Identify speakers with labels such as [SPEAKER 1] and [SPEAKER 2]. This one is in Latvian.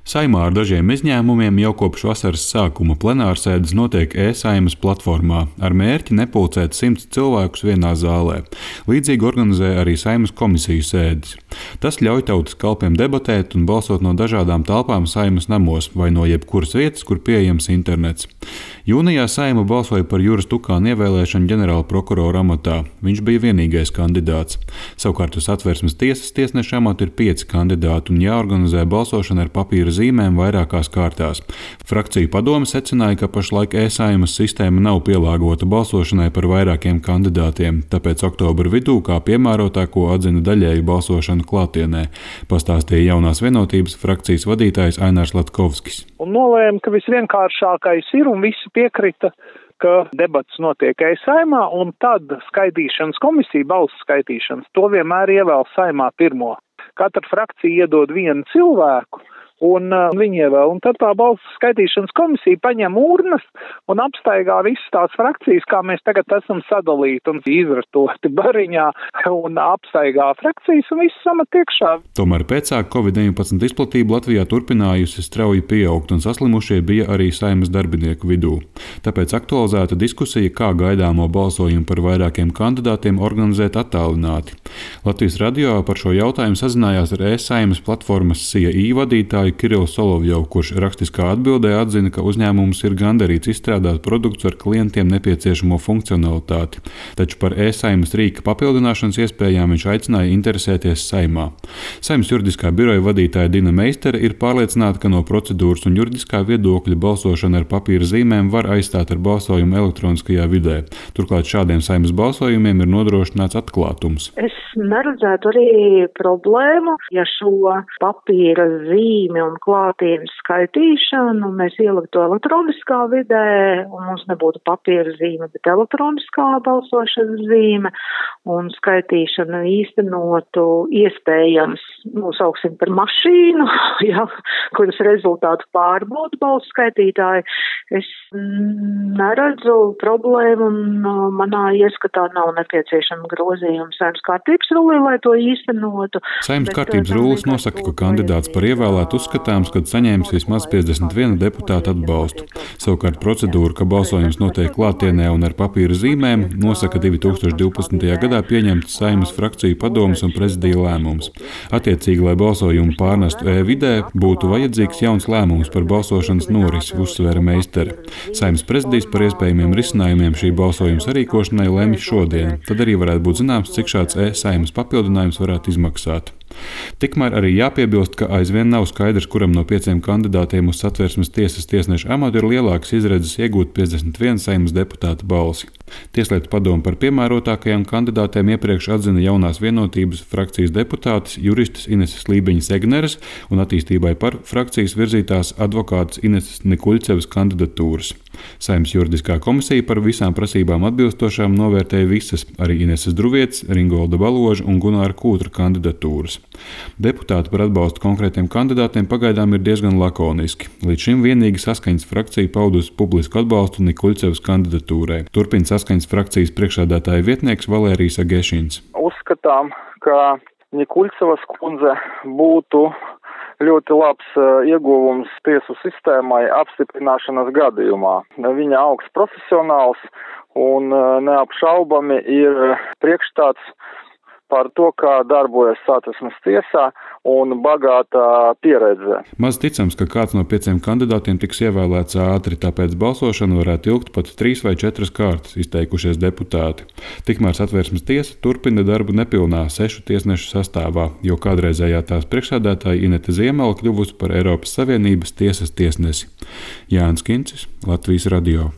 [SPEAKER 1] Saimā ar dažiem izņēmumiem jau kopš vasaras sākuma plenārsēdes notiek e-Saimas platformā ar mērķi nepulcēt 100 cilvēkus vienā zālē. Līdzīgi organizē arī Saimas komisiju sēdes. Tas ļauj tautas kalpiem debatēt un balsot no dažādām telpām Saimas namos vai no jebkuras vietas, kur pieejams internets. Jūnijā Saima balsoja par Juras Tukāna ievēlēšanu ģenerāla prokurora amatā. Viņš bija vienīgais kandidāts. Savukārt uz Satversmes tiesas tiesneša amatu ir 5 kandidāti un jāorganizē balsošana ar papīra zīmēm vairākās kārtās. Frakciju padome secināja, ka pašlaik e-Saimas sistēma nav pielāgota balsošanai par vairākiem kandidātiem, tāpēc oktobra vidū kā piemērotāko atzina daļēju balsošanu klātienē, pastāstīja Jaunās vienotības frakcijas vadītājs Ainārs Latkovskis.
[SPEAKER 2] Un nolēma, ka visvienkāršākais ir un visi piekrita, ka debats notiek e-Saimā un tad skaitīšanas komisija, balsu skaitīšanas, to vienmēr ievēl Saimā pirmo. Katra frakcija iedod vienu cilvēku. Un viņi ievēl, un tad tā balsu skaitīšanas komisija paņem urnas un apstaigā visas tās frakcijas, kā mēs tagad esam sadalīti un izratoti bariņā un apstaigā frakcijas un viss samet iekšā.
[SPEAKER 1] Tomēr pēcāk Covid-19 izplatība Latvijā turpinājusi strauji pieaugt un saslimušie bija arī Saimas darbinieku vidū. Tāpēc aktualizēta diskusija, kā gaidāmo balsojumu par vairākiem kandidātiem organizēt attālināti. Latvijas radio par šo jautājumu sazinājās ar e-Saimas platformas CII vadītāju Kirillu Solovjovu, kurš rakstiskā atbildē atzina, ka uzņēmums ir gandarīts izstrādāt produktus ar klientiem nepieciešamo funkcionalitāti, taču par e-Saimas rīka papildināšanas iespējām viņš aicināja interesēties Saimā. Saimas juridiskā biroja vadītāja Dina Meistere ir pārliecināta, ka no procedūras un juridiskā viedokļa balsošana ar papīra zīmēm var aizstāt ar balsojumu elektroniskajā vidē. Turklāt šādiem Saimas balsojumiem ir nodrošināts atklātums.
[SPEAKER 3] Es neredzētu arī problēmu, ja šo papīra zīmi un klātienes skaitīšanu mēs ieliktu elektroniskā vidē un mums nebūtu papīra zīme, bet elektroniskā balsošanas zīme un skaitīšanu īstenotu iespējams, nosauksim par mašīnu, ja, kuras rezultātu pārbauda balsu skaitītāji. Es neredzu problēmu un manā ieskatā nav nepieciešama grozījuma Saeimas kārtības rullī, lai to īstenotu.
[SPEAKER 1] Saeimas kārtības rullis nosaka, ka kandidāts par ievēlētu uzskatāms, kad saņēmis vismaz 51 deputātu atbalstu. Savukārt procedūra, ka balsojums notiek klātienē un ar papīra zīmēm, nosaka 2012. gadā pieņemts Saeimas frakciju padomes un prezidija lēmums. Attiecīgi, lai balsojumu pārnestu e-vidē, būtu vajadzīgs jauns lēmums par balsošanas norisi, uzsvēra Meistere. Saeimas prezidijs par iespējamiem risinājumiem šī balsojuma sarīkošanai lemj šodien. Tad arī varētu būt zināms, cik šāds e-Saimas papildinājums varētu izmaksāt. Tikmēr arī jāpiebilst, ka aizvien nav skaidrs, kuram no 5 kandidātiem uz Satversmes tiesas tiesneša amatu ir lielākas izredzes iegūt 51 Saimas deputāta balsi. Tieslietu padome par piemērotākajām kandidātēm iepriekš atzina Jaunās vienotības frakcijas deputātes juristes Ineses Lībiņas Egneres un attīstībai par frakcijas virzītās advokātes Ineses Nikuļcevas kandidatūras. Saimas juridiskā komisija par visām prasībām atbilstošām novērtēja visas, arī Ineses Druvietes, Ringolda Baloža un Gunāra Kūtra kandidatūras. Deputāti par atbalstu konkrētiem kandidātiem pagaidām ir diezgan lakoniski. Līdz šim vienīgi Saskaņas frakcija paudusi publisku atbalstu Nikuļcevas kandidatūrai. Turpina Saskaņas frakcijas priekšsēdētāja vietnieks Valērijas Agešins.
[SPEAKER 2] Uzskatām, ka Nikuļcevas kundze būtu ļoti labs ieguvums tiesu sistēmai apstiprināšanas gadījumā. Viņa augsts profesionāls un neapšaubami ir priekšstats par to, kā darbojas Satversmes tiesā un bagātā pieredze.
[SPEAKER 1] Maz ticams, ka kāds no 5 kandidātiem tiks ievēlēts ātri, tāpēc balsošana varētu ilgt pat 3 vai 4 kārtas, izteikušies deputāti. Tikmēr Satversmes tiesa turpina darbu nepilnā 6 tiesnešu sastāvā, jo kādreizējā tās priekšsēdētāja Inete Ziemela kļuvusi par Eiropas Savienības tiesas tiesnesi. Jānis Kincis, Latvijas radio.